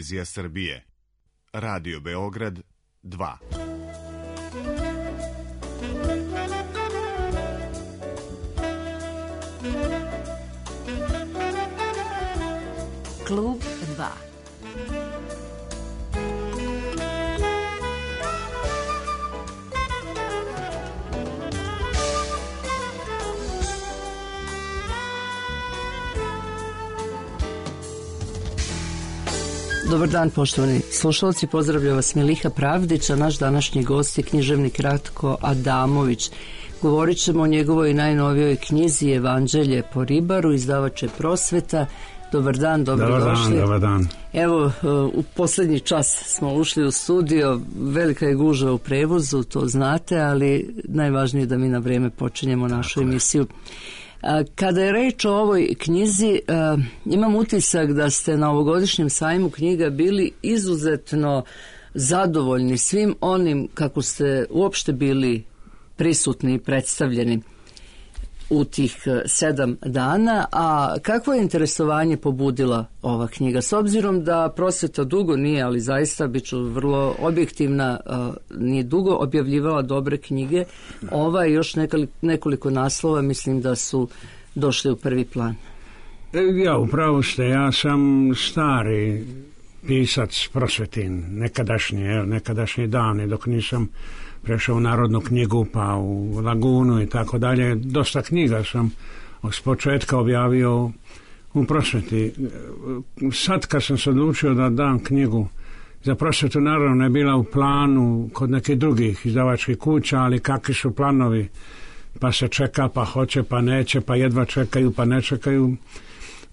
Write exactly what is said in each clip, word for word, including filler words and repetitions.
televizija Srbije. Radio Beograd dva. Klub dva. Dobar dan, poštovani slušalci, pozdravlja vas Miliha Pravdić, a naš današnji gost je književnik Ratko Adamović. Govorit ćemo o njegovoj najnovijoj knjizi Evanđelje po ribaru, izdavač je Prosveta. Dobar dan, dobrodošli. Dobar dan, dobar dan. Evo, u posljednji čas smo ušli u studio, velika je gužva u prevozu, to znate, ali najvažnije je da mi na vrijeme počinjemo našu Tako emisiju. Je. Kada je reč o ovoj knjizi, imam utisak da ste na ovogodišnjem sajmu knjiga bili izuzetno zadovoljni svim onim kako ste uopšte bili prisutni i predstavljeni u tih sedam dana, a kakvo je interesovanje pobudila ova knjiga? S obzirom da Prosveta dugo nije, ali zaista bit ću vrlo objektivna, nije dugo objavljivala dobre knjige, ova i još nekoliko naslova mislim da su došli u prvi plan. Ja, upravo ste, ja sam stari pisac Prosvetin, nekadašnji, nekadašnji dani, dok nisam prešao u Narodnu knjigu, pa u Lagunu i tako dalje. Dosta knjiga sam s početka objavio u Prosveti. Sad kad sam se odlučio da dam knjigu za Prosvetu, naravno je bila u planu kod nekih drugih izdavačkih kuća, ali kakvi su planovi, pa se čeka, pa hoće, pa neće, pa jedva čekaju, pa ne čekaju.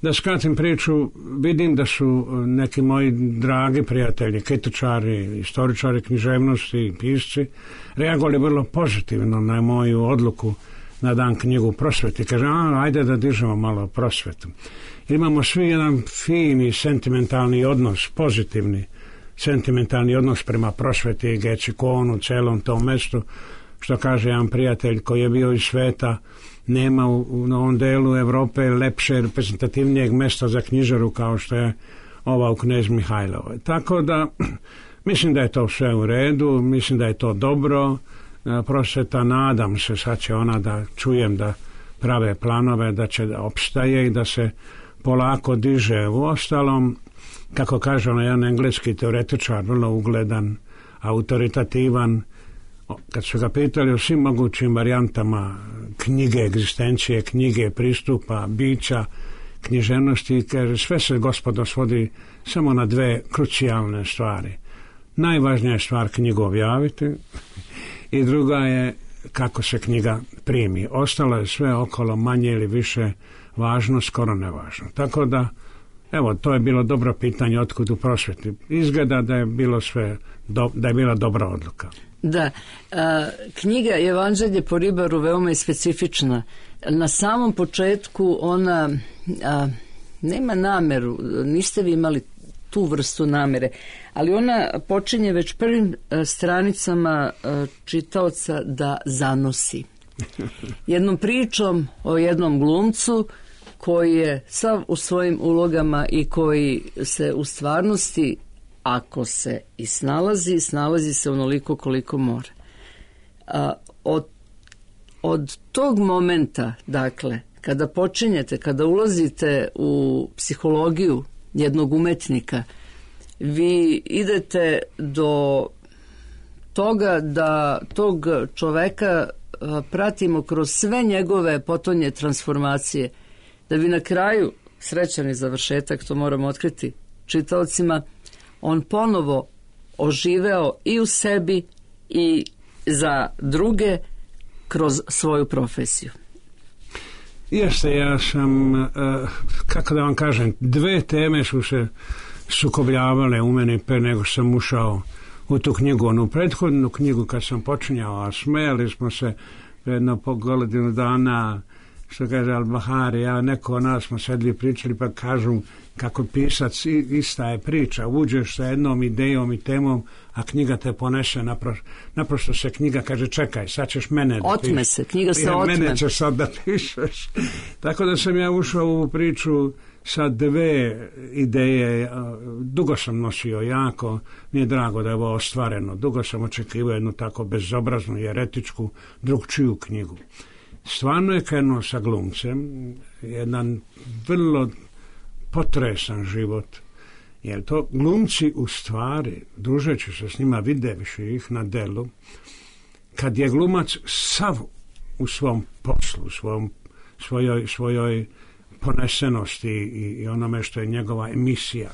Da skratim priču, vidim da su neki moji dragi prijatelji, kritičari, istoričari književnosti, pisci, reagovali vrlo pozitivno na moju odluku da dam knjigu Prosveti. Kaže, a, ajde da dižemo malo Prosvetu. Imamo svi jedan fini, sentimentalni odnos, pozitivni, sentimentalni odnos prema Prosveti, Gečikonu, celom tom mestu, što kaže jedan prijatelj koji je bio iz sveta, nema u, u ovom delu Evrope lepše, reprezentativnijeg mesta za knjižaru kao što je ova u Knez Mihajlovoj. Tako da, mislim da je to sve u redu, mislim da je to dobro. Prosveta, nadam se, sad će ona da čujem da prave planove, da će da opstaje i da se polako diže. U ostalom, kako kaže ono jedan engleski teoretičar, vrlo ugledan, autoritativan, kad su ga pitali o svim mogućim varijantama knjige, egzistencije, knjige, pristupa, bića, književnosti, kaže, sve se, gospodo, svodi samo na dve krucijalne stvari. Najvažnija je stvar knjigu objaviti i druga je kako se knjiga primi. Ostalo je sve okolo manje ili više važno, skoro nevažno. Tako da, evo, to je bilo dobro pitanje otkud u Prosveti. Izgleda da je bilo sve, do, da je bila dobra odluka. Da, a, knjiga Evanđelje po ribaru veoma je specifična. Na samom početku ona a, nema nameru, niste vi imali tu vrstu namere, ali ona počinje već prvim a, stranicama a, čitaoca da zanosi. Jednom pričom o jednom glumcu koji je sav u svojim ulogama i koji se u stvarnosti, ako se i snalazi, snalazi se onoliko koliko mora. A, od, od tog momenta, dakle, kada počinjete, kada ulazite u psihologiju jednog umetnika, vi idete do toga da tog čoveka a, pratimo kroz sve njegove potonje transformacije, da bi na kraju, srećan je završetak, to moramo otkriti čitaocima, on ponovo oživeo i u sebi i za druge kroz svoju profesiju. Jeste, ja sam, kako da vam kažem, dve teme su se sukobljavale u meni pre nego sam ušao u tu knjigu. Onu prethodnu knjigu kad sam počinjao, a smejali smo se jedno po godinu dana, što kaže Al-Bahari, ja neko od nas smo sedli pričali pa kažu kako pisac ista je priča, uđeš sa jednom idejom i temom, a knjiga te ponese, naprosto, naprosto se knjiga kaže čekaj, sad ćeš mene da otme pišeš. se, knjiga se otme. Mene ćeš sad da pišeš. Tako da sam ja ušao u priču sa dve ideje, dugo sam nosio jako, mi je drago da je ovo ostvareno, dugo sam očekivao jednu tako bezobraznu, jeretičku, drugčiju knjigu. Stvarno je krenuo sa glumcem, jedan vrlo potresan život, jer to glumci u stvari, družeći se s njima, videviši ih na delu, kad je glumac sav u svom poslu, u svom, svojoj, svojoj ponesenosti i, i onome što je njegova emisija.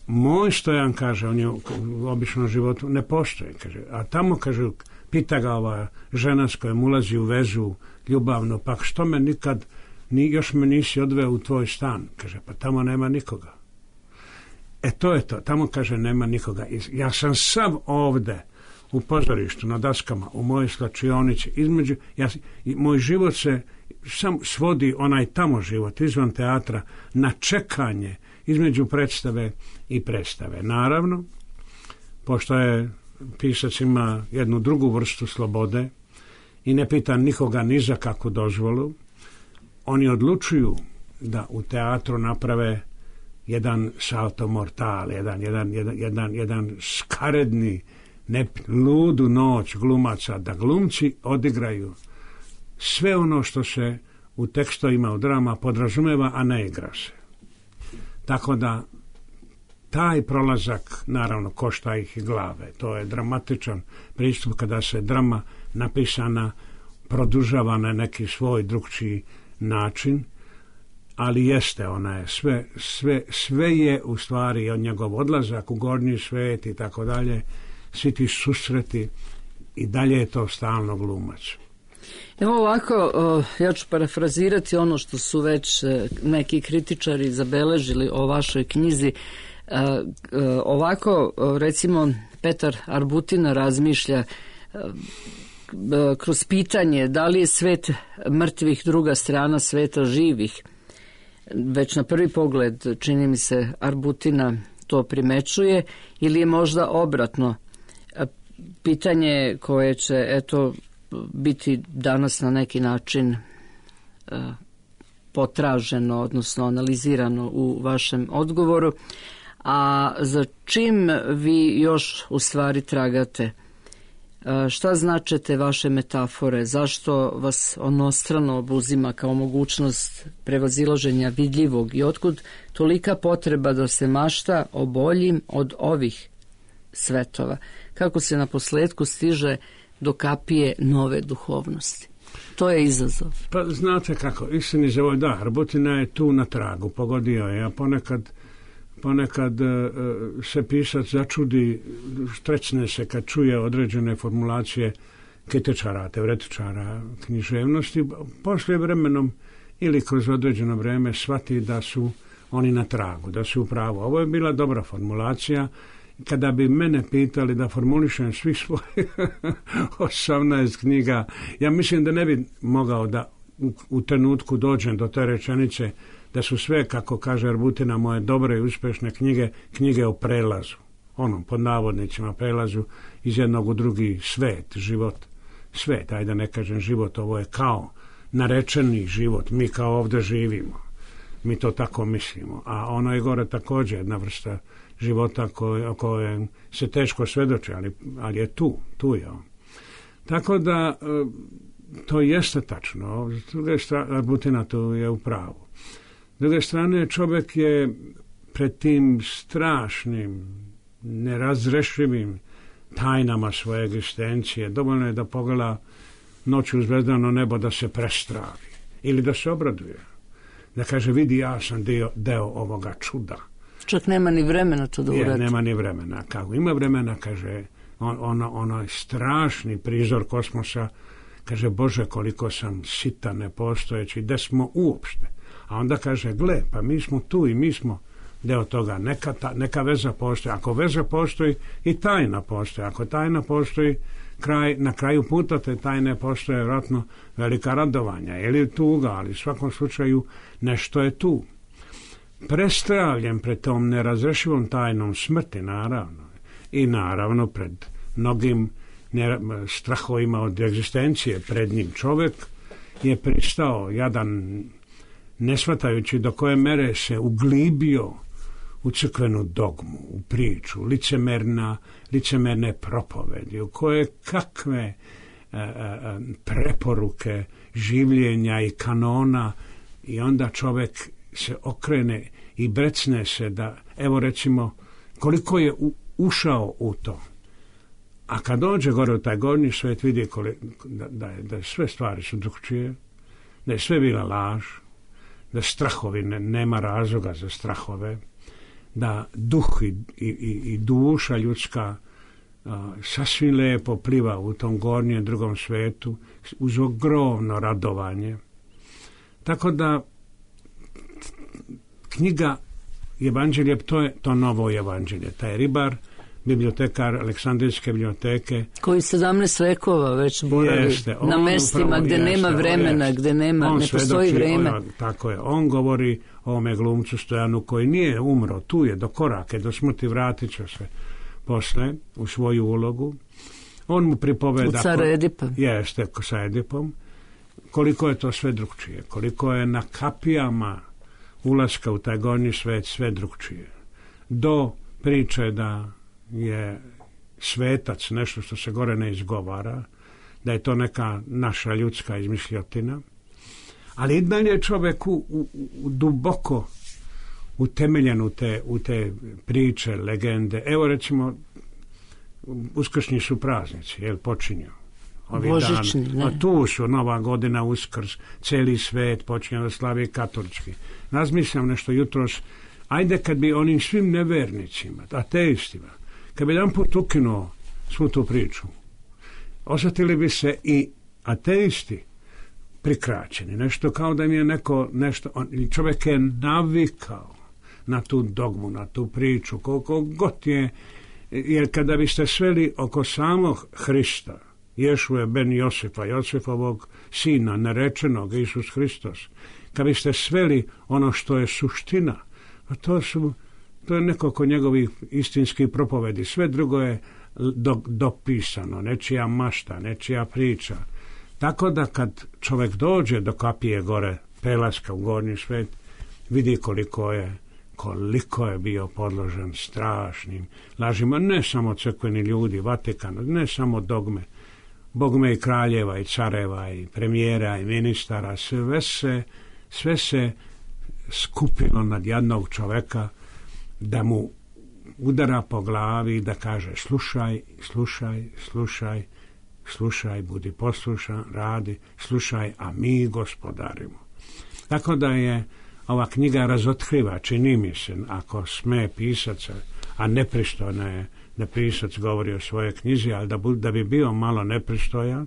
Moj Stojan, kaže, on je u običnom životu ne postoji, kaže, a tamo, kaže, pita ga ova žena s kojom ulazi u vezu ljubavno, pa što me nikad, ni, još me nisi odveo u tvoj stan, kaže, pa tamo nema nikoga. E to je to, tamo, kaže, nema nikoga. Ja sam sav ovde u pozorištu, na daskama, u mojoj slačionici, između, ja, moj život se sam svodi, onaj tamo život, izvan teatra, na čekanje između predstave i predstave. Naravno, pošto je pisac ima jednu drugu vrstu slobode i ne pita nikoga ni za kakvu dozvolu, oni odlučuju da u teatru naprave jedan salto mortal, jedan, jedan, jedan, jedan, jedan skaredni, ne, ludu noć glumaca, da glumci odigraju sve ono što se u tekstovima u drama podrazumeva, a ne igra se. Tako da taj prolazak naravno košta ih i glave. To je dramatičan pristup kada se drama napisana produžava na neki svoj drugčiji način, ali jeste, ona je sve, sve, sve je u stvari od njegov odlazak u gornji svet i tako dalje, svi ti susreti i dalje je to stalno glumac. Evo ovako, ja ću parafrazirati ono što su već neki kritičari zabeležili o vašoj knjizi. Ovako, recimo, Petar Arbutina razmišlja kroz pitanje da li je svet mrtvih druga strana sveta živih. Već na prvi pogled, čini mi se, Arbutina to primećuje, ili je možda obratno pitanje koje će, eto, biti danas na neki način uh, potraženo, odnosno analizirano u vašem odgovoru. A za čim vi još u stvari tragate? Uh, šta značete vaše metafore? Zašto vas onostrano obuzima kao mogućnost prevazilaženja vidljivog i otkud tolika potreba da se mašta o boljim od ovih svetova? Kako se na posledku stiže do kapije nove duhovnosti? To je izazov. Pa znate kako, istini za ovo, da, Arbutina je tu na tragu, pogodio je, a ponekad, ponekad uh, se pisac začudi, štrecne se kad čuje određene formulacije kritičara, teoretičara književnosti, poslije vremenom ili kroz određeno vreme shvati da su oni na tragu, da su u pravu. Ovo je bila dobra formulacija. Kada bi mene pitali da formulišem svih svojih osamnaest knjiga, ja mislim da ne bi mogao da u, u trenutku dođem do te rečenice da su sve, kako kaže Arbutina, moje dobre i uspešne knjige, knjige o prelazu. Onom, pod navodnicima, prelazu iz jednog u drugi svet, život. Svet, ajde da ne kažem život, ovo je kao narečeni život, mi kao ovdje živimo. Mi to tako mislimo. A ono je gore također jedna vrsta života koje, o kojem se teško svedoči, ali, ali je tu, tu je on. Tako da to jeste tačno. S druge strane, Arbutina tu je u pravu. S druge strane, čovjek je pred tim strašnim, nerazrešivim tajnama svoje egzistencije. Dovoljno je da pogleda noću u zvezdano nebo da se prestravi ili da se obraduje. Da kaže, vidi, ja sam dio, deo ovoga čuda. Čak nema ni vremena to da uradi. Nema ni vremena. Kako ima vremena, kaže, on, ono, ono strašni prizor kosmosa, kaže, Bože, koliko sam sitan, nepostojeći, gde smo uopšte. A onda kaže, gle, pa mi smo tu i mi smo deo toga. Neka, ta, neka veza postoji. Ako veza postoji, i tajna postoji. Ako tajna postoji, kraj, na kraju puta te tajne postoje vjerojatno velika radovanja. Ili tuga, ali u svakom slučaju nešto je tu. Prestravljen pred tom nerazrešivom tajnom smrti, naravno. I naravno pred mnogim strahovima od egzistencije pred njim čovjek je pristao, jadan ne shvatajući do koje mere se uglibio u crkvenu dogmu, u priču, licemerna, licemerne propovedi, u koje kakve a, a, preporuke življenja i kanona, i onda čovjek se okrene i brecne se da, evo recimo, koliko je u, ušao u to. A kad dođe gore u taj gornji svijet, vidi koliko, da, da, je, da sve stvari su drugčije, da je sve bila laž, da strahovi ne, nema razloga za strahove, da duh i, i, i duša ljudska a, sasvim lijepo pliva u tom gornjem drugom svijetu uz ogromno radovanje. Tako da knjiga Evanđelje, to je to novo evanđelje. Taj ribar, bibliotekar Aleksandrijske biblioteke, koji sedamnaest vekova već boravi jeste, na mestima upravo, gdje jeste, nema vremena, jeste. Gdje nema, on ne postoji vrijeme. On, tako je, on govori o ovome glumcu Stojanu koji nije umro, tu je do korake, do smrti, vratit će se posle u svoju ulogu. On mu pripoveda... U cara Edipa. Jeste, sa Edipom. Koliko je to sve drugčije, koliko je na kapijama ulaska u taj gornji svet sve drugčije. Do priče da je svetac nešto što se gore ne izgovara, da je to neka naša ljudska izmišljotina, ali i dalje čovjek u, u, u duboko utemeljen u te, u te priče, legende. Evo recimo, uskršnji su praznici, jel počinju? Božićni, ne. A tu su Nova godina, Uskrs, cijeli svet počinje da slavi katolički. Razmišljam nešto jutros, ajde kad bi onim svim nevernicima, ateistima, kad bi jedan put ukinuo svu tu priču, osjetili bi se i ateisti prikraćeni. Nešto kao da mi je neko nešto, on, čovjek je navikao na tu dogmu, na tu priču, koliko god je, jer kada biste sveli oko samog Hrista, Ješuje ben Josipa, Josifovog sina, narečenog, Isus Hristos, kad biste sveli ono što je suština, a to su, to je nekoliko njegovih istinskih propovedi, sve drugo je do, dopisano, nečija mašta, nečija priča. Tako da kad čovjek dođe do kapije gore, prelaska u gornji svet, vidi koliko je koliko je bio podložen strašnim lažima, ne samo crkveni ljudi, Vatikan, ne samo dogme, bogme i kraljeva i careva i premijera i ministara, sve se, sve se skupilo nad jednog čovjeka da mu udara po glavi i da kaže slušaj, slušaj, slušaj, slušaj, budi poslušan, radi, slušaj, a mi gospodarimo. Tako da je ova knjiga razotkriva, čini mi se, ako sme pisaca, a nepristojno je da pisac govori o svojoj knjizi, ali da, bu, da bi bio malo nepristojan,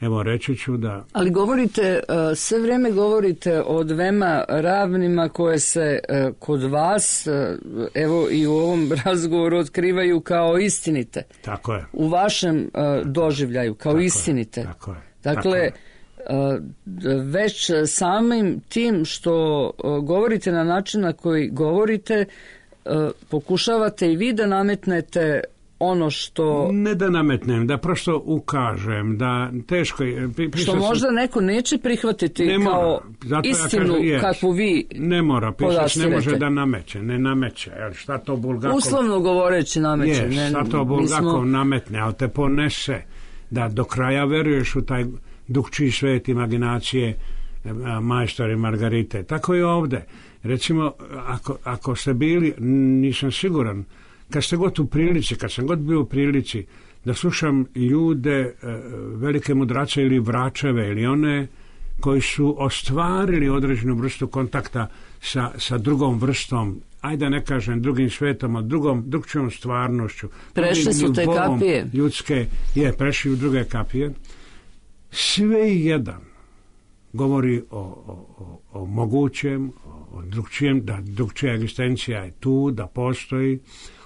evo reći ću da... Ali govorite, sve vrijeme govorite o dvema ravnima koje se kod vas, evo i u ovom razgovoru, otkrivaju kao istinite. Tako je. U vašem doživljaju, kao tako istinite. Je, tako je. Dakle, tako je. Već samim tim što govorite na način na koji govorite, pokušavate i vi da nametnete ono što... Ne da nametnem, da prosto ukažem, da teško je... Što možda neko neće prihvatiti ne kao istinu ja kakvu vi ne mora, pisac ne može da nameće, ne nameće. Jer šta to Bulgakov... Uslovno govoreći nameće. Je, ne, šta to Bulgakov smo... nametne, ali te ponese da do kraja veruješ u taj drugčiji svet imaginacije majstora i Margarite. Tako je ovdje. Recimo, ako, ako ste bili, nisam siguran, kad ste god u prilici, kad sam god bio u prilici da slušam ljude, velike mudrace ili vračeve ili one koji su ostvarili određenu vrstu kontakta sa, sa drugom vrstom, ajde ne kažem drugim svetom, a drugom, drugčijom stvarnošću. Prešli su te kapije. Ljudske, je, prešli u druge kapije. Sve jedan govori o, o, o mogućem, o drugčijem, da drugčija egzistencija je tu, da postoji,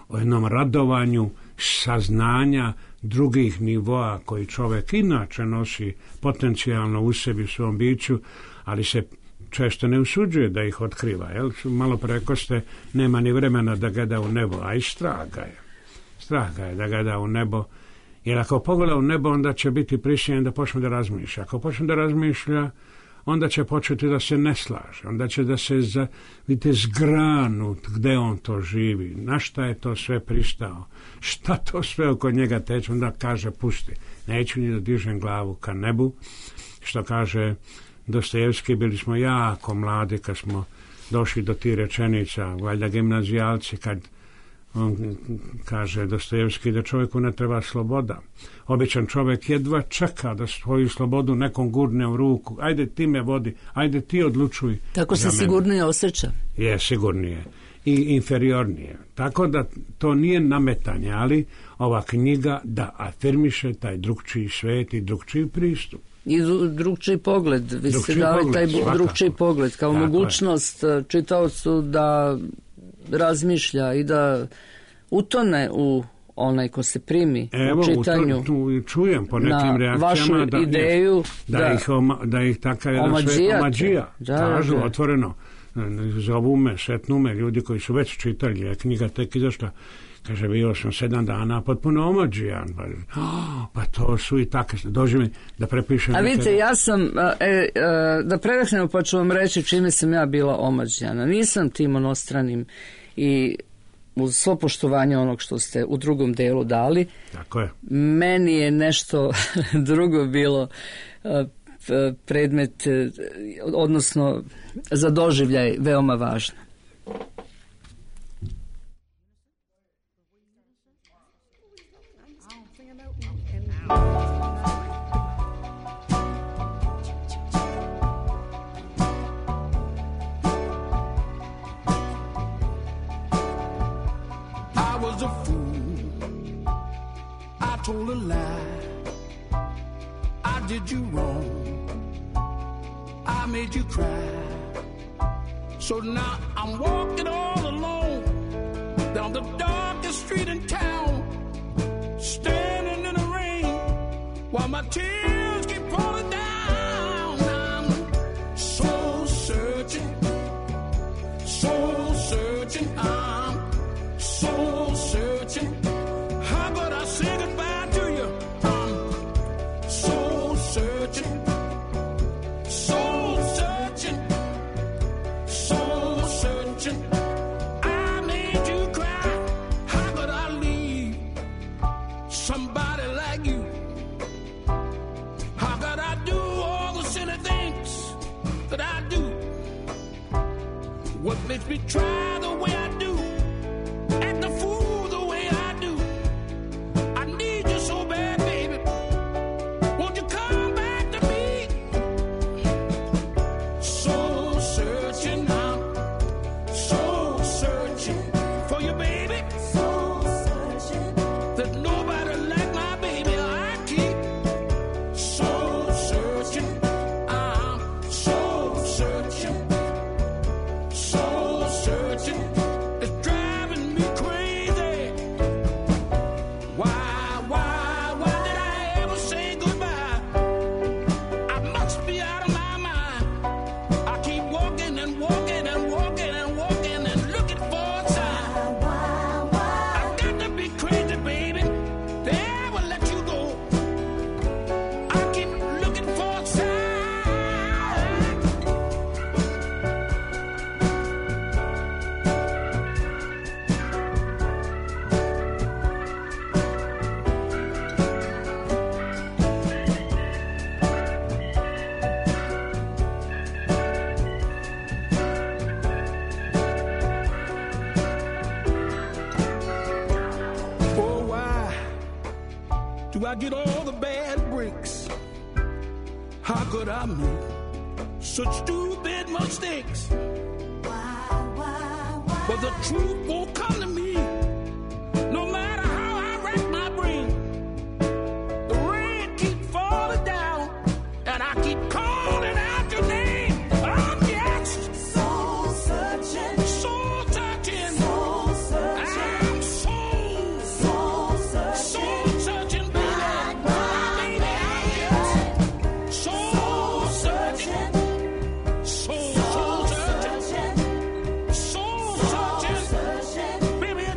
o jednom radovanju saznanja drugih nivoa koji čovjek inače nosi potencijalno u sebi, u svom biću, ali se često ne usuđuje da ih otkriva. Jel? Malo preko ste, nema ni vremena da gleda u nebo, a i strah ga je. Strah ga je da gleda u nebo, jer ako pogleda u nebo, onda će biti prisiljen da počne da razmišlja. Ako počne da razmišlja, onda će početi da se ne slaže, onda će da se za, vidite, zgranut gde on to živi, na šta je to sve pristao, šta to sve oko njega teče, onda kaže pusti, neću ni da dižem glavu ka nebu, što kaže Dostojevski, bili smo jako mladi kad smo došli do tih rečenica, valjda gimnazijalci, kad on kaže Dostojevski da čovjeku ne treba sloboda. Običan čovjek jedva čeka da svoju slobodu nekom gurne u ruku. Ajde ti me vodi, ajde ti odlučuj. Tako se sigurnije osjeća. Je, sigurnije. I inferiornije. Tako da to nije nametanje, ali ova knjiga da afirmiše taj drugčiji svet i drugčiji pristup. I drugčiji pogled. Vi ste dali taj drugčiji pogled kao tako mogućnost je čitaocu da razmišlja i da utone u onaj ko se primi Evo, u čitanju. Evo, tu čujem po nekim reakcijama vašu da, ideju da, da, ih, oma, da ih takav jedan svet omađija. Kažu da, otvoreno. Zovu me, šetnu me ljudi koji su već čitali, je knjiga tek izašla. Kaže, bio sam sedam dana potpuno omađijan. Pa, oh, pa to su i tako. Dođi mi da prepišem. A vidite, ja sam, e, e, da predahnemo pa ću vam reći čime sam ja bila omađijana. Nisam tim onostranim i uz svo poštovanje onog što ste u drugom delu dali. Tako je. Meni je nešto drugo bilo predmet, odnosno za doživljaj veoma važno. Told a lie, I did you wrong, I made you cry, so now I'm walking all alone, down the darkest street in town, standing in the rain, while my tears keep falling down. I'm soul searching, soul searching, I'm soul searching. How could I say goodbye? What makes me try the way I do, act the fool the way I do? I need you so bad, baby. Won't you come back to me? Soul searching, I'm soul searching for you, baby. Soul searching. There's nobody like my baby. I keep soul searching. I'm soul searching. It's driving me crazy. Why, why, why did I ever say goodbye? I must be out of my mind. I keep walking and walking and walking and walking and looking for a sign. Why, why? I've got to be crazy, baby, to ever let you go. I keep looking for a sign. Do I get all the bad breaks? How could I make such stupid mistakes? Why, why, why? But the truth won't come to me, no matter how I rack my brain. The rain keeps falling down, and I keep calling out your name. I'm just soul searching, soul searching, soul searching. I'm soul, soul searching, soul searching. Baby,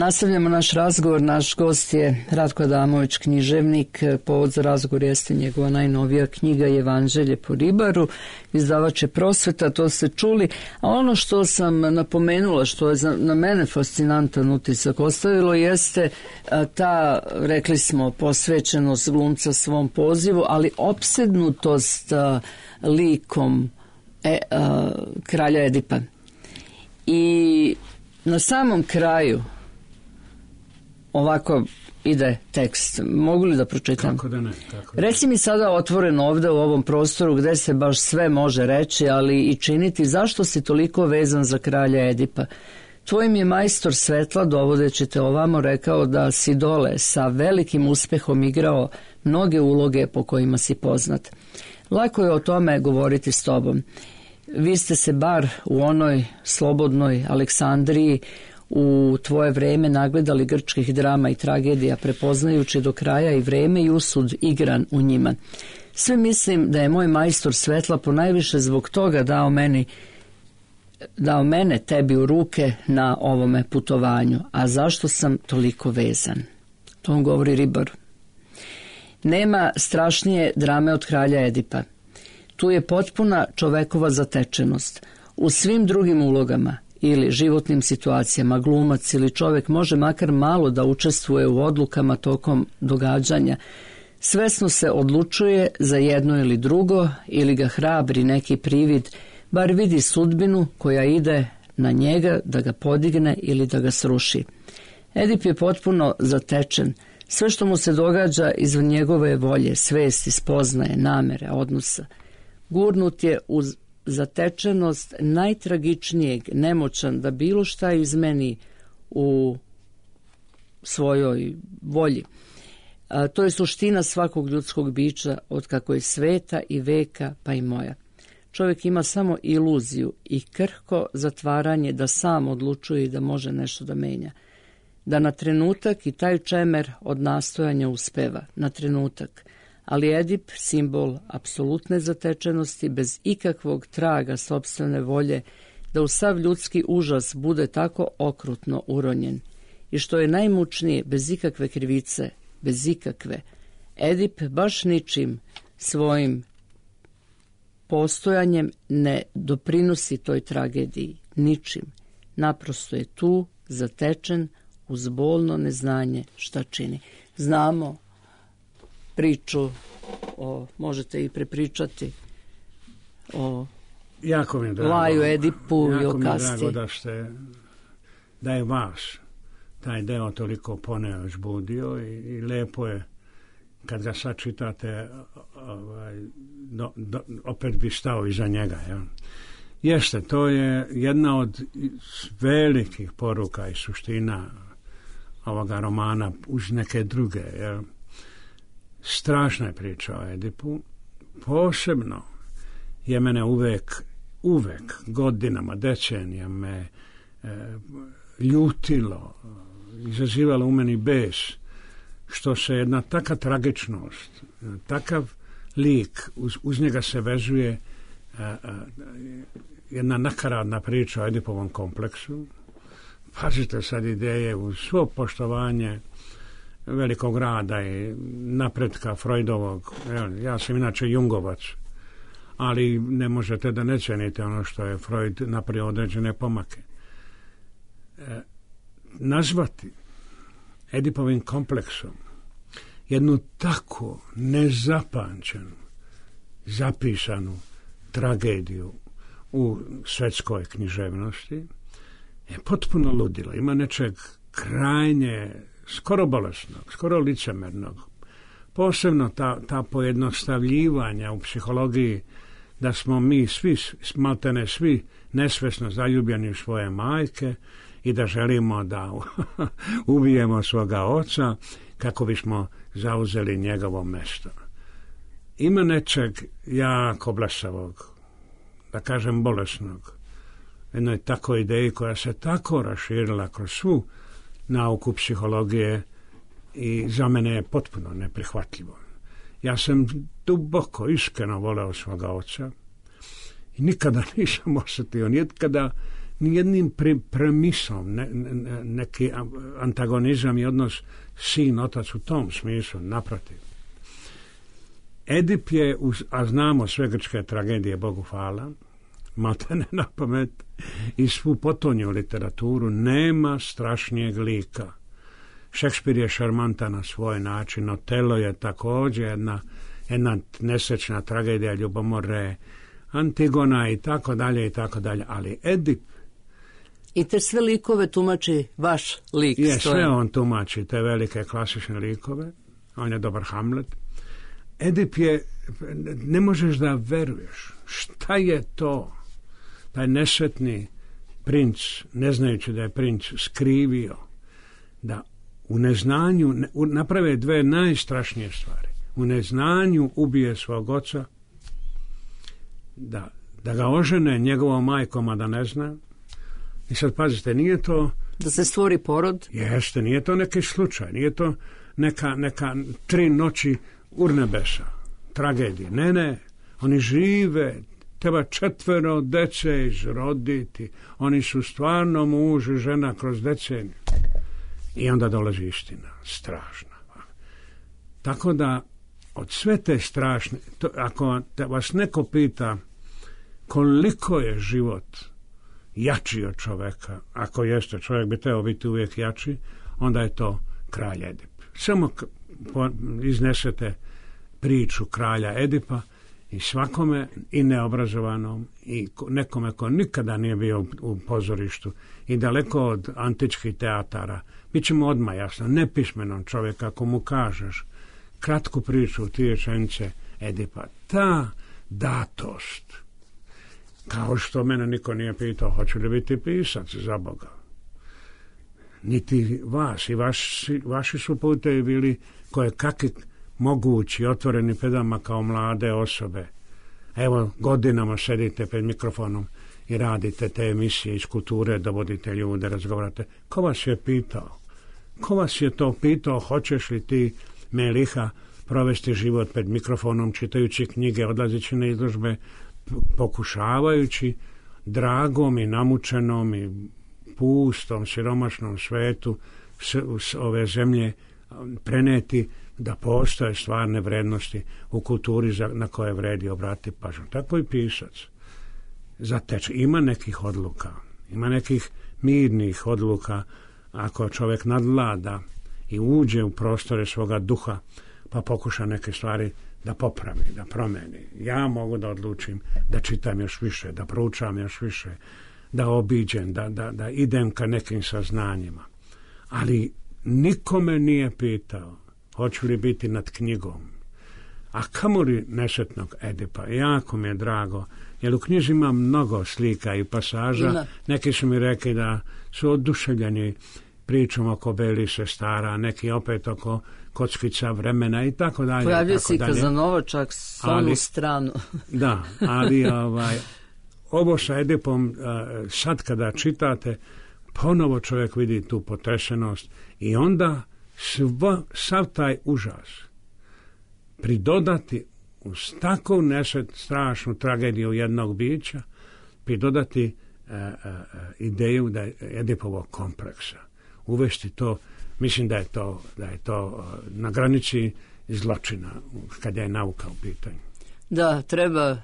Nastavljamo naš razgovor. Naš gost je Ratko Adamović, književnik. Povod za razgovor jeste njegova najnovija knjiga Evanđelje po ribaru. Izdavač je Prosveta, to ste čuli. A ono što sam napomenula, što je za, na mene fascinantan utisak ostavilo, jeste ta, rekli smo, posvećenost glumca svom pozivu, ali opsednutost a, likom e, a, kralja Edipa. I na samom kraju ovako ide tekst. Mogu li da pročitam? Kako da ne? Kako da. Reci mi sada otvoreno ovde u ovom prostoru gde se baš sve može reći, ali i činiti, zašto si toliko vezan za kralja Edipa? Tvoj mi je majstor svetla, dovodeći te ovamo, rekao da si dole sa velikim uspehom igrao mnoge uloge po kojima si poznat. Lako je o tome govoriti s tobom. Vi ste se bar u onoj slobodnoj Aleksandriji u tvoje vreme nagledali grčkih drama i tragedija, prepoznajući do kraja i vreme i usud igran u njima. Sve mislim da je moj majstor svetla ponajviše zbog toga dao meni dao mene tebi u ruke na ovome putovanju. A zašto sam toliko vezan? To on govori ribar. Nema strašnije drame od kralja Edipa. Tu je potpuna čovekova zatečenost. U svim drugim ulogama ili životnim situacijama glumac ili čovek može makar malo da učestvuje u odlukama tokom događanja. Svesno se odlučuje za jedno ili drugo ili ga hrabri neki privid, bar vidi sudbinu koja ide na njega da ga podigne ili da ga sruši. Edip je potpuno zatečen. Sve što mu se događa izvan njegove volje, svesti, spoznaje, namere, odnosa. Gurnut je uz zatečenost najtragičnijeg, nemoćan da bilo šta izmeni u svojoj volji. A, to je suština svakog ljudskog bića, od kako je sveta i veka, pa i moja. Čovjek ima samo iluziju i krhko zatvaranje da sam odlučuje i da može nešto da menja. Da na trenutak i taj čemer od nastojanja uspeva, na trenutak. Ali Edip, simbol apsolutne zatečenosti, bez ikakvog traga sopstvene volje, da u sav ljudski užas bude tako okrutno uronjen. I što je najmučnije, bez ikakve krivice, bez ikakve, Edip baš ničim svojim postojanjem ne doprinosi toj tragediji, ničim. Naprosto je tu, zatečen, uz bolno neznanje šta čini. Znamo priču, o, možete i prepričati o jako mi je drago, Laju Edipu i o Kasti. Jako mi je drago da, ste, da je vas taj deo toliko poneo žbudio i, i lepo je kad ga sad čitate, ovaj, do, do, opet bi stao iza njega. Ja. Jeste, to je jedna od velikih poruka i suština ovoga romana uz neke druge. Ja. Strašna je priča o Edipu. Posebno je mene uvek, uvek godinama, decenija me e, ljutilo, izazivalo u meni bes, što se jedna taka tragičnost, takav lik, uz, uz njega se vezuje a, a, jedna nakaradna priča o Edipovom kompleksu. Pazite sad ideje uz svo poštovanje velikog rada i napretka Freudovog. Ja sam inače Jungovac, ali ne možete da ne cenite ono što je Freud napravio određene pomake. E, nazvati Edipovim kompleksom jednu tako nezapamćenu, zapisanu tragediju u svetskoj književnosti je potpuno ludilo. Ima nečeg krajnje, skoro bolesnog, skoro licemernog. Posebno ta, ta pojednostavljivanja u psihologiji da smo mi svi, maltene svi, nesvesno zaljubljeni u svoje majke i da želimo da ubijemo svoga oca kako bismo zauzeli njegovo mesto. Ima nečeg jako blesavog, da kažem bolesnog, jednoj tako ideji koja se tako raširila kroz svu nauku psihologije i za mene je potpuno neprihvatljivo. Ja sam duboko, iskreno voleo svoga oca i nikada nisam osjetio, nikada nijednim pre, premisom, ne, ne, neki antagonizam i odnos sin-otac u tom smislu, naprotiv. Edip je, a znamo sve grčke tragedije, Bogu hvala, maltene na pamet, i svu potonju literaturu, nema strašnijeg lika. Šekspir je šarmantan na svoj način, Otelo je također jedna, jedna nesrećna tragedija, ljubomore, Antigona i tako dalje i tako dalje, ali Edip i te sve likove tumači vaš lik. Je, sve on tumači, te velike klasične likove, on je dobar Hamlet. Edip je, ne možeš da veruješ, šta je to, taj nesretni princ, ne znajući da je princ, skrivio, da u neznanju naprave dve najstrašnije stvari. U neznanju ubije svog oca, da, da ga ožene njegovom majkom, a da ne zna. I sad pazite, nije to... Da se stvori porod? Jeste, nije to neki slučaj, nije to neka, neka tri noći urnebesa, tragedije. Ne, ne, oni žive, treba četvero dece izroditi, oni su stvarno muž i žena kroz deceniju. I onda dolazi istina, strašna. Tako da, od sve te strašne, to, ako vas neko pita koliko je život jači od čoveka, ako jeste, čovjek bi trebao biti uvijek jači, onda je to kralj Edip. Samo k- po, iznesete priču kralja Edipa i svakome, i neobrazovanom, i nekome ko nikada nije bio u, u pozorištu i daleko od antičkih teatara, bit će mu odmah jasno, nepismenom čovjeka, ako mu kažeš kratku priču, ti rečenice Edipa, ta datost, kao što mene niko nije pitao, hoću li biti pisac, za Boga. Niti vas, i vaši, vaši su putevi bili koje kakvi mogući, otvoreni pedama kao mlade osobe. Evo, godinama sedite pred mikrofonom i radite te emisije iz kulture, dovodite ljude, razgovarate. Ko vas je pitao? Ko vas je to pitao, hoćeš li ti, Meliha, provesti život pred mikrofonom, čitajući knjige, odlazeći na izložbe, pokušavajući dragom i namučenom i pustom, siromašnom svetu s, s ove zemlje preneti da postoje stvarne vrednosti u kulturi za, na koje vredi obratiti pažnju. Tako i pisac. Zateče. Ima nekih odluka, ima nekih mirnih odluka ako čovjek nadvlada i uđe u prostore svoga duha pa pokuša neke stvari da popravi, da promeni. Ja mogu da odlučim da čitam još više, da proučam još više, da obiđem, da, da, da idem ka nekim saznanjima. Ali nikome nije pitao hoću li biti nad knjigom. A kamoli nesretnog Edipa, jako mi je drago, jer u knjizi ima mnogo slika i pasaža. Ima. Neki su mi rekli da su oduševljeni pričom oko Beli sestara, neki opet oko kockica vremena i tako dalje. Pojavio si Kazanova čak s onu stranu. Da, ali ovaj, ovo sa Edipom, sad kada čitate, ponovo čovjek vidi tu potresenost i onda sva, sav taj užas pridodati uz takvu nesret, strašnu tragediju jednog bića, pridodati e, e, ideju da je Edipovog kompleksa. Uvesti to, mislim da je to, da je to na granici zločina, kada je nauka u pitanju. Da, treba,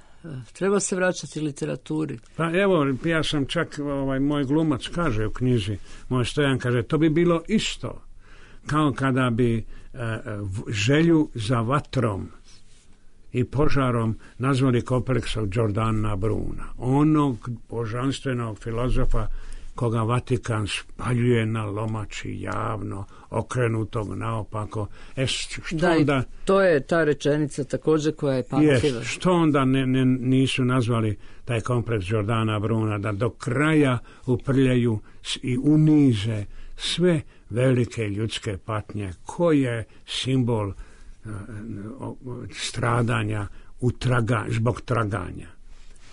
treba se vraćati literaturi. Pa evo, ja sam čak, ovaj, moj glumac kaže u knjizi, moj Stojan kaže, to bi bilo isto kao kada bi e, želju za vatrom i požarom nazvali kompleksom Giordana Bruna, onog božanstvenog filozofa koga Vatikan spaljuje na lomači javno, okrenutog naopako. E, što da, onda, to je ta rečenica također koja je pamtljiva. Što onda ne, ne, nisu nazvali taj kompleks Giordana Bruna, da do kraja uprljaju i unize sve velike ljudske patnje, koji je simbol uh, stradanja u traga, zbog traganja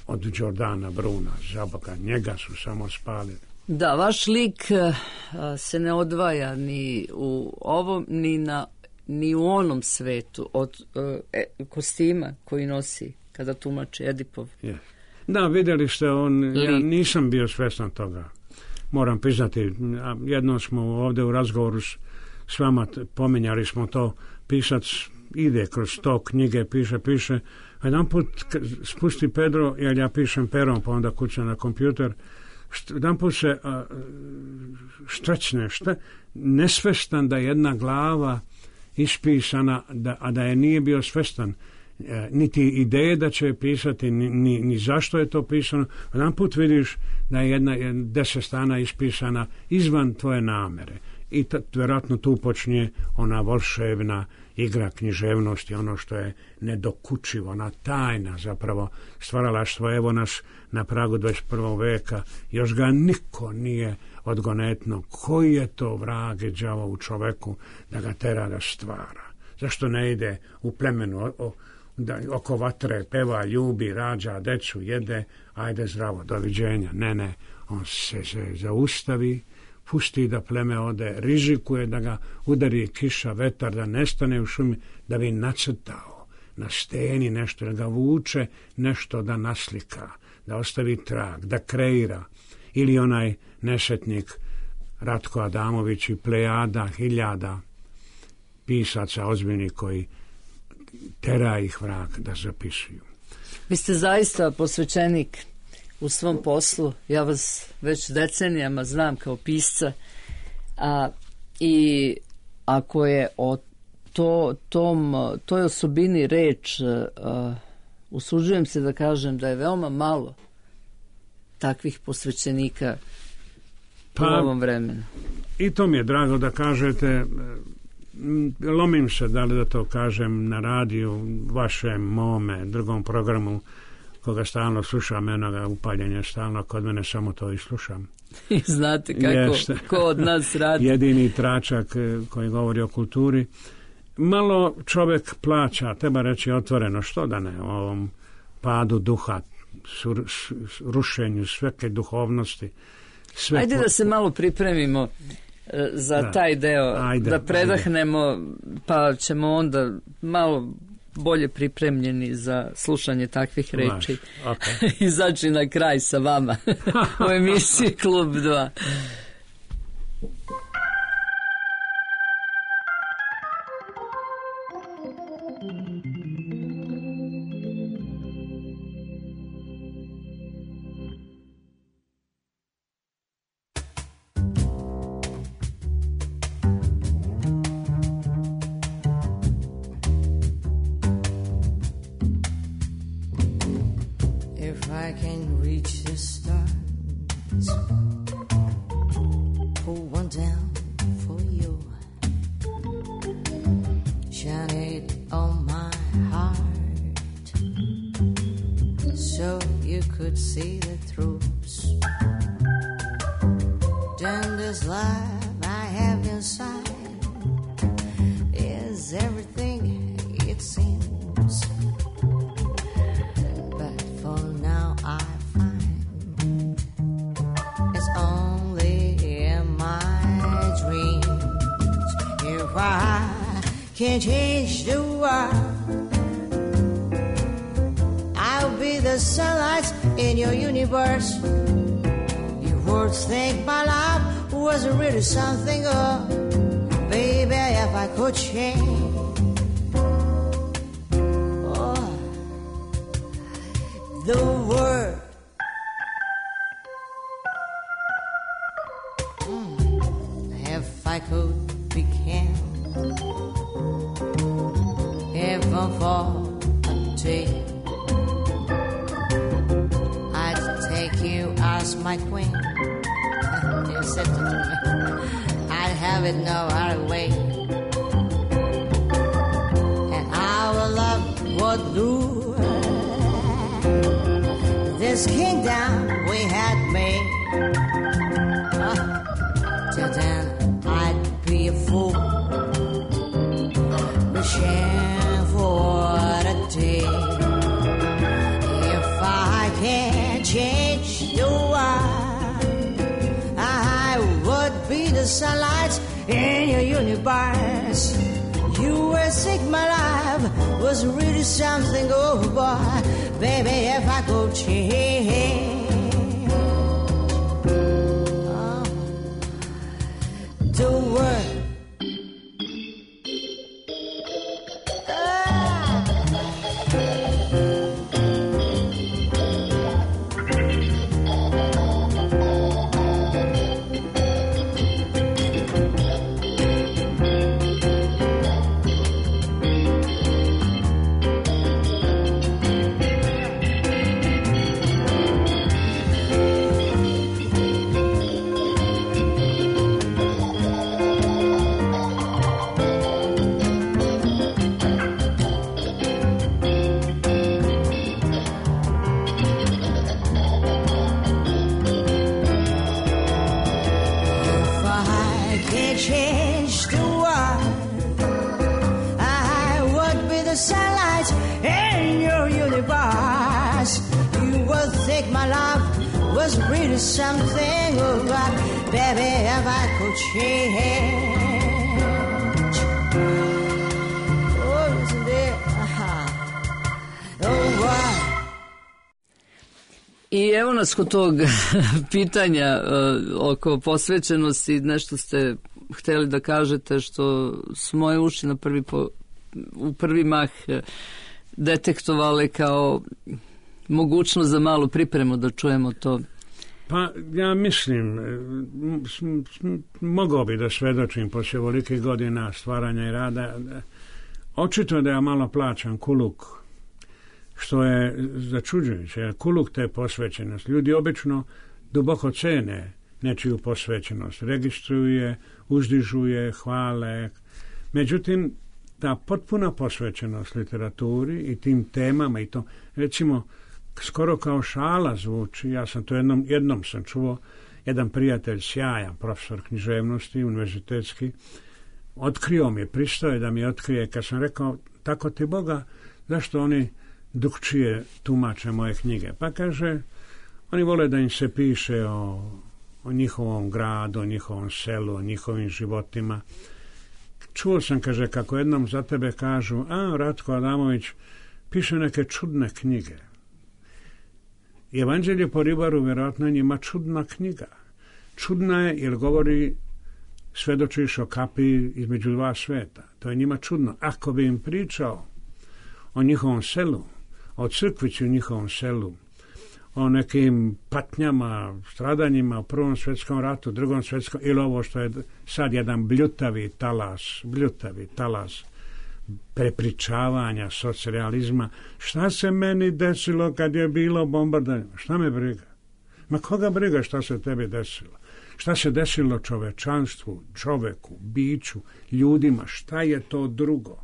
od Giordana Bruna, za Boga, njega su samo spalili. Da, vaš lik uh, se ne odvaja ni u ovom, ni, na, ni u onom svetu od uh, e, kostima koji nosi kada tumači Edipov. Yes. Da, vidjeli ste, on, ja nisam bio svjestan toga. Moram priznati, jednom smo ovdje u razgovoru s, s vama pominjali smo to, pisac ide kroz to knjige, piše, piše, a jedan put spusti Pedro, jer ja pišem perom, pa onda kućam na kompjuter, jedan put se a, štrećne, šta, nesvestan da jedna glava ispisana, da, a da je nije bio svestan, e, niti ideje da će pisati, ni, ni, ni zašto je to pisano. Jedan put vidiš da je jedna, jedna deset strana ispisana izvan tvoje namere. I t- vjerojatno tu počinje ona volšebna igra književnosti, ono što je nedokučivo, ona tajna zapravo stvaralaštvo. Evo nas na pragu dvadeset prvog veka, još ga niko nije odgonetno. Koji je to vrag i đavo u čoveku da ga tera da stvara? Zašto ne ide u plemenu o, o, da, oko vatre, peva, ljubi, rađa, decu, jede, ajde zdravo, doviđenja. Ne, ne, on se, se zaustavi, pusti da pleme ode, rizikuje da ga udari kiša, vetar, da nestane u šumi, da bi nacrtao na steni nešto, da ga vuče nešto da naslika, da ostavi trag, da kreira. Ili onaj nesretnik Ratko Adamović i plejada hiljada pisaca ozbiljnih koji tera ih vrag da zapisuju. Vi ste zaista posvećenik u svom poslu. Ja vas već decenijama znam kao pisca, a, i ako je o to, tom, toj osobini reč, a, usuđujem se da kažem da je veoma malo takvih posvećenika pa, u ovom vremenu. I to mi je drago da kažete. Lomim se da li da to kažem na radiju, vašem, mome, drugom programu koga stalno slušam, enoga upaljenja stalno, kod mene samo to i slušam. I znate kako, Jeste. Ko od nas radi. Jedini tračak koji govori o kulturi. Malo čovjek plaća, treba reći otvoreno, što da ne, o ovom padu duha, sur, rušenju sveke duhovnosti. Sve Ajde po... da se malo pripremimo za da. taj deo, ajde, da predahnemo, ajde. Pa ćemo onda malo bolje pripremljeni za slušanje takvih reči. Okay. Izaći na kraj sa vama u emisiji Klub dva. Can't change the world. I'll be the sunlight in your universe. Your words think my life wasn't really something, oh, baby, if I could change, oh, the world. Mm, if I could be can. Heaven for a day, I'd take you as my queen. You said to me, I'd have it no other way, and our love would rule this kingdom we had made. Uh, till then, I'd be a fool, wishing for a day. If I can't change the world, I would be the sunlight in your universe. You were sick, my life was really something, oh boy, baby, if I could change. Oh. Don't worry. Was really something, oh God, baby, if I could change. Oh, isn't it? Uh-huh. Oh, boy. I evo nas kod tog pitanja uh, oko posvećenosti, nešto ste htjeli da kažete što su moje uši na prvi po, u prvi mah uh, detektovale kao mogućnost za malu pripremu da čujemo to. Pa ja mislim, mogao bi da svedočim poslije ovolikih godina stvaranja i rada. Očito da ja malo plaćam kuluk, što je začuđujuće, jer kuluk te posvećenost. Ljudi obično duboko cene nečiju posvećenost, registruje, uzdižuje, hvale. Međutim, ta potpuna posvećenost literaturi i tim temama i to, recimo, skoro kao šala zvuči, ja sam to jednom, jednom sam čuo, jedan prijatelj, sjajan profesor književnosti, univerzitetski, otkrio mi je, pristao je da mi otkrije, kad sam rekao, tako ti Boga, zašto oni drukčije tumače moje knjige? Pa kaže, oni vole da im se piše o, o njihovom gradu, o njihovom selu, o njihovim životima. Čuo sam, kaže, kako jednom za tebe kažu, a, Ratko Adamović piše neke čudne knjige. Evanđelje po ribaru vjerojatno je njima čudna knjiga. Čudna je jer govori, svedočiš o kapiji između dva sveta. To je njima čudno. Ako bi im pričao o njihovom selu, o crkvici u njihovom selu, o nekim patnjama, stradanjima u Prvom svjetskom ratu, Drugom svjetskom, ili ovo što je sad jedan bljutavi talas, bljutavi talas prepričavanja, socrealizma. Šta se meni desilo kad je bilo bombardovanje? Šta me briga? Ma koga briga šta se tebi desilo? Šta se desilo čovečanstvu, čoveku, biću, ljudima? Šta je to drugo?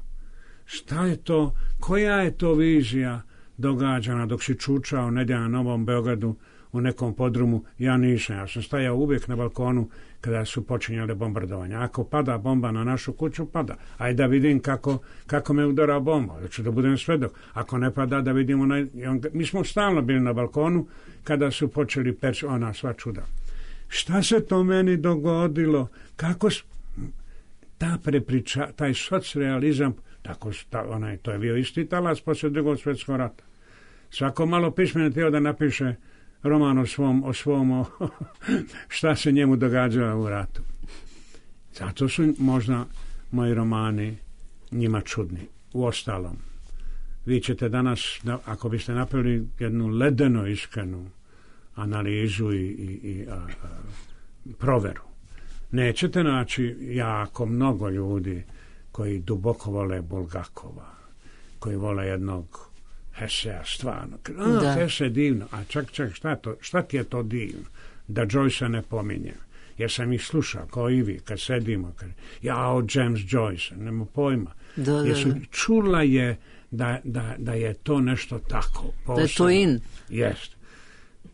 Šta je to? Koja je to vizija događana dok si čučao nedje na Novom Beogradu u nekom podrumu? Ja nisam. Ja sam stajao uvijek na balkonu kada su počinjale bombardovanja. Ako pada bomba na našu kuću, pada. Ajde da vidim kako, kako me udara bomba. Da ću da budem svedok. Ako ne pada, da vidimo. Na... Mi smo stalno bili na balkonu kada su počeli peći ona sva čuda. Šta se to meni dogodilo? Kako ta prepriča, taj socrealizam, tako ta, onaj, to je bio isti talas poslije Drugog svjetskog rata. Svako malo pismeno tijelo da napiše roman o svom, o svom o, šta se njemu događalo u ratu. Zato su možda moji romani njima čudni. Uostalom, vi ćete danas, ako biste napravili jednu ledeno iskrenu analizu i, i, i a, a, proveru, nećete naći jako mnogo ljudi koji duboko vole Bulgakova, koji vole jednog Hesea, stvarno. A, Hese je divno. A čak, čak, šta, to, šta ti je to divno? Da Joyce ne pominje. Jer sam ih slušao, kao i vi, kad sedimo. Kad, ja, o James Joyce, nema pojma. Da, da, jer su, čula je da, da, da je to nešto tako. Posebno. Da je to in. Jest.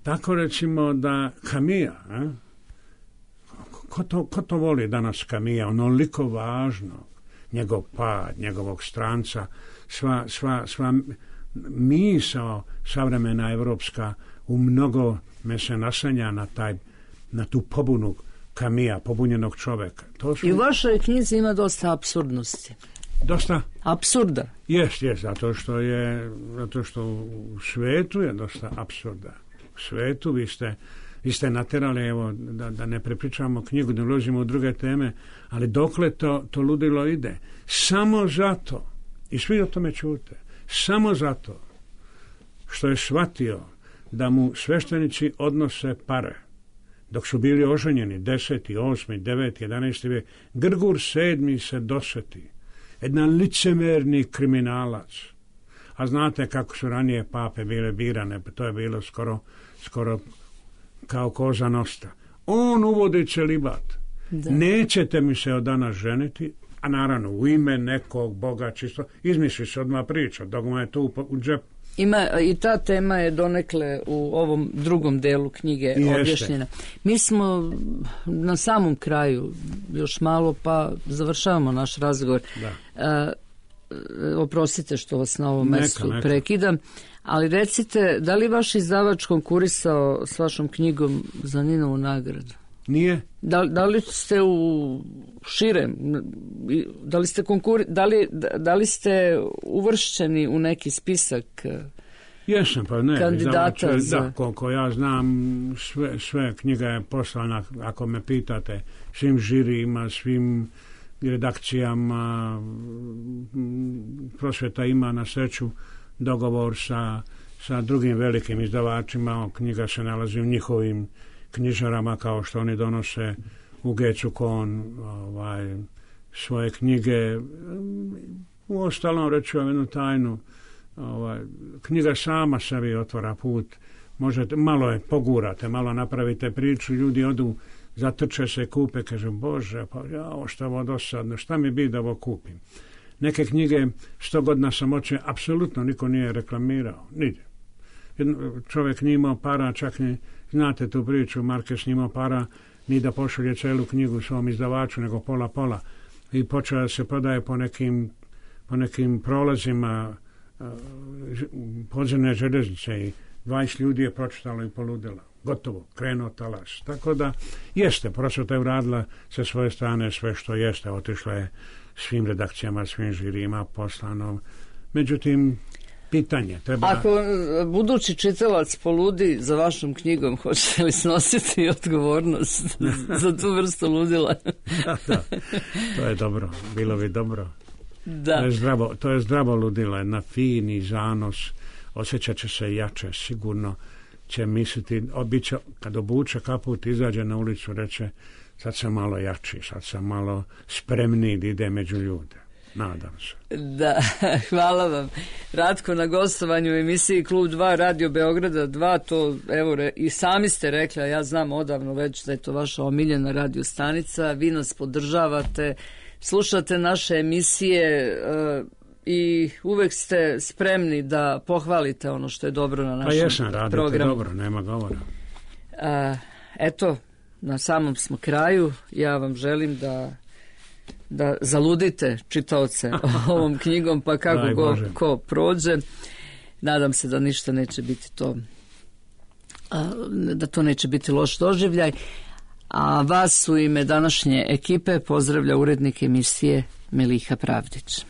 Tako recimo da Kamija, a? Ko, to, ko to voli danas Kamija? Onoliko važno. Njegov pad, njegovog stranca, sva, sva, sva misao savremena evropska u mnogo me se nasanja na, taj, na tu pobunu Kamija, pobunjenog čoveka. To su... I u vašoj knjizi ima dosta apsurdnosti. dosta apsurda. Jest, jest, zato što je zato što u svetu je dosta apsurda. U svetu vi ste, vi ste naterali, evo, da, da ne prepričamo knjigu, da ulazimo u druge teme, ali dokle to, to ludilo ide? Samo zato, i svi o tome čute, samo zato što je shvatio da mu sveštenici odnose pare. Dok su bili oženjeni, deseti, osmi, deveti, jedanaesti vijek, Grgur sedmi se doseti. Jedan licemerni kriminalac. A znate kako su ranije pape bile birane, pa to je bilo skoro, skoro kao koza nosta. On uvodi celibat. Da. Nećete mi se od danas ženiti, a naravno u ime nekog Boga čisto, izmisli se odmah priča, dok mu je tu u džepu. Ima, i ta tema je donekle u ovom drugom delu knjige Jeste. objašnjena. Mi smo na samom kraju još malo, pa završavamo naš razgovor. Da. A, oprostite što vas na ovom mestu neka. prekidam, ali recite, da li vaš izdavač konkurisao s vašom knjigom za Ninovu nagradu? Nije. Da, da li ste u širem, da li ste konkuri, da li, da li ste uvršćeni u neki spisak Jesam, pa ne, kandidata za... Da, koliko ja znam, sve, sve knjiga je poslana, ako me pitate, svim žirijima, svim redakcijama. Prosvjeta ima na sreću dogovor sa, sa drugim velikim izdavačima, knjiga se nalazi u njihovim knjižarama, kao što oni donose u Gecukon ovaj, svoje knjige. U ostalom, reću vam jednu tajnu, ovaj, knjiga sama sebi otvara put. Možete, malo je pogurate, malo napravite priču, ljudi odu, zatrče se, kupe, kažu, Bože, pa ja, ovo šta ovo dosadno, šta mi bi da ovo kupim? Neke knjige, sto godina samoće, apsolutno niko nije reklamirao, nigdje. Čovjek nije imao para, čak ni, znate tu priču, Markes nije imao para ni da pošalje celu knjigu svom izdavaču, nego pola pola. I počeo da se prodaje po nekim, po nekim prolazima uh, podzemne željeznice i dvadeset ljudi je pročitalo i poludilo. Gotovo, krenuo talas. Tako da jeste, prosvjeta je uradila sa svoje strane sve što jeste, otišla je svim redakcijama, svim žirima, poslano. Međutim, pitanje treba... Ako budući čitalac poludi za vašom knjigom, hoćete li snositi odgovornost za tu vrstu ludila? Da, da, to je dobro, bilo bi dobro. Da. To je zdravo, to je zdravo ludilo, jedna fini zanos, osjećat će se jače, sigurno će misliti, obično, kad obuče kaput, izađe na ulicu, reče, sad sam malo jači, sad sam malo spremniji da ide među ljude. Nadam se. Da, hvala vam. Ratko, na gostovanju u emisiji Klub dva Radio Beograda dva, to evo re, i sami ste rekli, a ja znam odavno već da je to vaša omiljena radio stanica, vi nas podržavate, slušate naše emisije uh, i uvek ste spremni da pohvalite ono što je dobro na našem programu. Pa jesam, radite programu. Dobro, nema govora. Uh, eto, na samom smo kraju, ja vam želim da da zaludite čitaoce ovom knjigom, pa kako go, ko prođe. Nadam se da ništa neće biti to, da to neće biti loš doživljaj. A vas u ime današnje ekipe pozdravlja urednik emisije Meliha Pravdić.